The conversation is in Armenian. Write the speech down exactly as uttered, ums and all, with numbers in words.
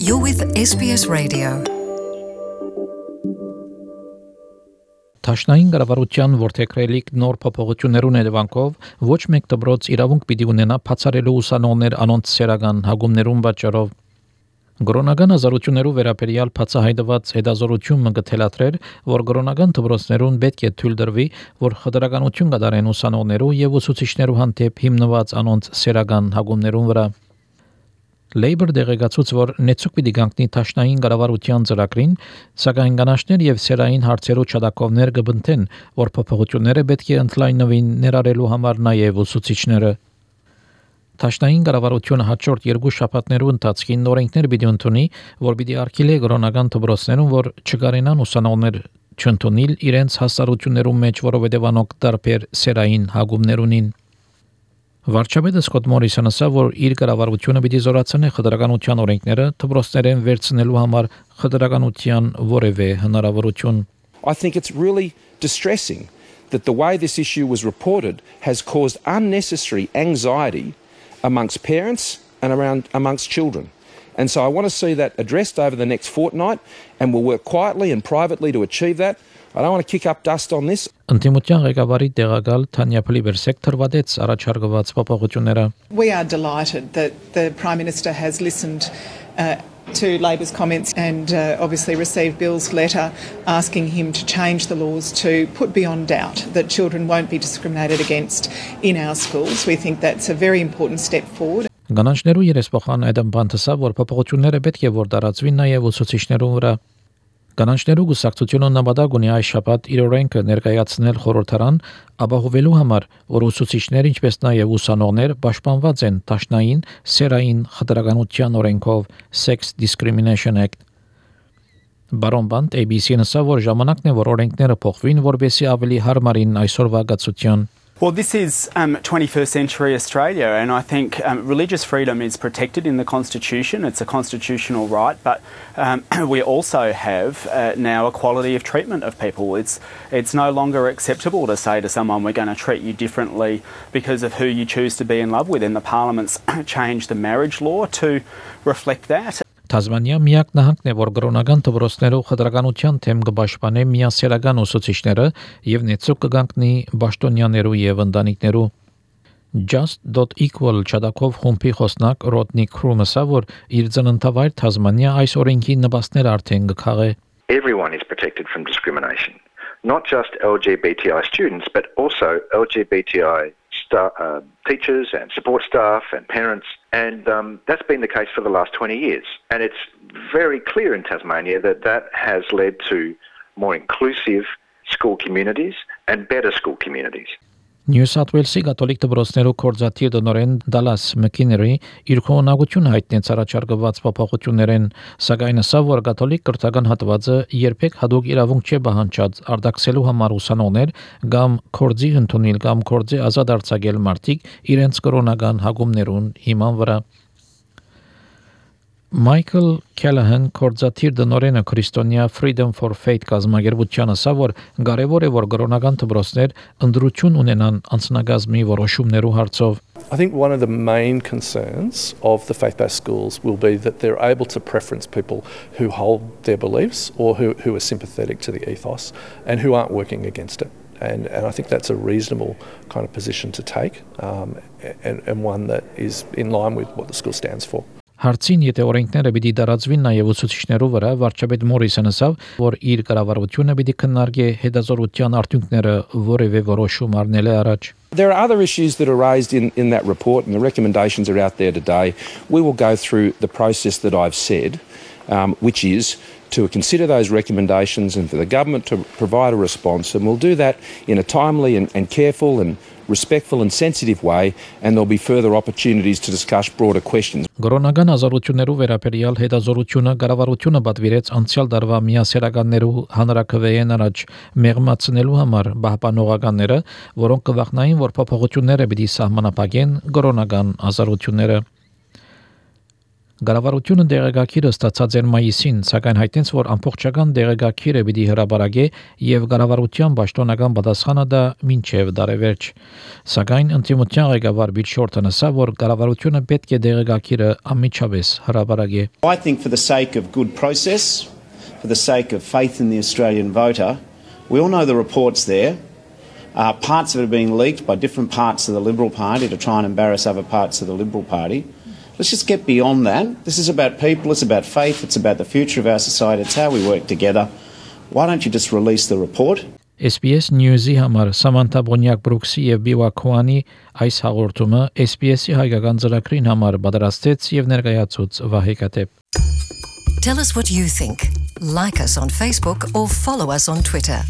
You're with S B S Radio. Տաշնային կառավարության ворթեքրելիք նոր փոփոխություններուն հետևանքով ոչ մեկ դպրոց իրավունք պիտի ունենա բացառելու ուսանողներ անոնց սերական հագումներուն պատճառով Կորոնական ազատություններու վերաբերյալ բացահայտված հետազոտությունը կթելադրեր, որ կորոնական դպրոցներուն պետք է թույլ տրվի, որ խտրականություն կատարեն ուսանողներու եւ ուսուցիչներու հանդեպ հիմնված անոնց սերական հագումներուն վրա Labour դեղեկացուց, որ նեցուկ պիտի կանգնի տաշնային կառավարության ծրագրին, սակայն կանաչներ եւ սերային հարցերու չադակովներ կբնթեն, որ փոփոխությունները պետք է ընդլայնվին ներառելու համար նաեւ ուսուցիչները Տաշնային կառավարությունը հաջորդ երկու շաբաթներու ընթացքին նորենքներ պիտի ընդունի, որ պիտի արգելի կորոնական դպրոցներուն, որ չկարենան ուսանողներ չընդունել իրենց հասարություններու մեջ, որովհետեւ անոնք տարբեր սերային հագումներ ունին Վարչապետը Սկոտ Մորիսոնը ասա, որ իր կառավարությունը պիտի զորացնի խտրականության օրենքները դպրոցներեն վերցնելու համար խտրականության որևէ հնարավորություն I think it's really distressing that the way this issue was reported has caused unnecessary anxiety amongst parents and around amongst children. And so I want to see that addressed over the next fortnight and we'll work quietly and privately to achieve that. I don't want to kick up dust on this. Ընդդիմության ղեկավարի տեղակալ Թանյա Փլիբերսեկ թրվադեց առաջարկված փոփոխությունները We are delighted that the Prime Minister has listened uh, to Labor's comments and uh, obviously received Bill's letter asking him to change the laws to put beyond doubt that children won't be discriminated against in our schools. We think that's a very important step forward. Գանանջներու երեսփոխան այդ բանտսա, որ փոփոխությունները պետք է որ դարածվին նաև ուսուցիչներու վրա Կանանչներու գուսակցությունը նպատակ ունի այս շաբաթ իր օրենքը ներկայացնել խորհրդարան, ապահովելու համար, որ ուսուցիչներ ինչպես նաև ուսանողներ պաշտպանված են տաշնային սերային խտրականության օրենքով Sex Discrimination Act Բարոն Բանտ A B C-ն ասա, որ ժամանակն է, որ օրենքները փոխվին, որպեսզի ավելի հարմարին այսօրվա գացության Well, this is um, twenty-first century Australia, and I think um, religious freedom is protected in the Constitution. It's a constitutional right, but um, we also have uh, now equality of treatment of people. It's it's no longer acceptable to say to someone, we're going to treat you differently because of who you choose to be in love with, and the Parliament's changed the marriage law to reflect that. Թազմանիա միակ նահանգն է, որ կրոնական դպրոցներով խտրականության թեմ կպաշտպանե միասերական ուսուցիչները եւ նեցուկ կգանքնի պաշտոնյաներու եւ ընտանիքներու just dot equal չադակով խումբի խոսնակ Ռոդնի Քրումսը, որ իր ծննդավայր Թազմանիա այս օրենքի նպաստներ արդեն կքաղե Everyone is protected from discrimination, not just L G B T I students, but also L G B T I Star, uh, teachers and support staff and parents and um, that's been the case for the last twenty years and it's very clear in Tasmania that that has led to more inclusive school communities and better school communities. New South Wales-ի կաթոլիկ դպրոցներու կորզաթիր դնորեն Dallas McInerney իր քողնակություն հայտնեց առաջարկված փոփոխություններեն, սակայն ասա, որ կաթոլիկ կրթական հատվածը երբեք հadoop իրավունք չէ բանջած արտաքսելու համար ուսանողներ կամ կորձի ընդունել կամ կորձի ազատ արձակել մարդիկ իրենց կրոնական հագումներուն հիման վրա Michael Callahan կորզաթիր դնորենը Քրիստոնյա Freedom for Faith կազմակերպության ասա, որ կարևոր է, որ կրոնական դպրոցներ ընդրություն ունենան անձնագազմի որոշումներու հարցով I think one of the main concerns of the faith-based schools will be that they're able to preference people who hold their beliefs or who, who are sympathetic to the ethos and who aren't working against it. And, and I think that's a reasonable kind of position to take um, and, and one that is in line with what the school stands for. Հարցին եթե օրենքները պիտի դարածվին նաև ուսուցիչներու վրա վարչապետ Մորիսոնը ասավ, որ իր կառավարությունը պիտի քննարկի հետազոտության արդյունքները որևէ որոշում առնել առաջ There are other issues that are raised in, in that report and the recommendations are out there today. We will go through the process that I've said, um, which is to consider those recommendations and for the government to provide a response and we'll do that in a timely and, and careful and respectful and sensitive way and there'll be further opportunities to discuss broader questions. Կորոնական ազատություններու վերաբերյալ հետազոտությունը կառավարությունը պատվիրեց անցյալ տարվա միասերականներու հանրակրվեին առաջ մեղմացնելու համար պահպանողականները, որոնք կվախնային, որ փոփոխությունները պիտի սահմանափակեն կորոնական ազատությունները Գարավարությունը դեղեկագիրը ստացած էր մայիսին, սակայն հայտնեց, որ ամբողջական դեղեկագիրը պիտի հրապարակե եւ գարավարության պաշտոնական պատասխանը դա մինչեւ դարեվերջ։ Սակայն ընդդիմության ղեկավար Բիլ Շորթոնը ասա, որ գարավարությունը պետք է դեղեկագիրը անմիջապես հրապարակե։ I think for the sake of good process, for the sake of faith in the Australian voter, we all know the reports there. Uh, parts of it are being leaked by different parts of the Liberal Party to try and embarrass other parts of the Liberal Party. Let's just get beyond that. This is about people, it's about faith, it's about the future of our society, it's how we work together. Why don't you just release the report? S B S News-ի համար Սամանթա Բոնյակ-Բրուքսի եւ Բիվա Քուանի այս հաղորդումը S B S-ի հայկական ծրագրին համար պատրաստեց եւ ներկայացուց Վահե Կատեփ։ Tell us what you think. Like us on Facebook or follow us on Twitter.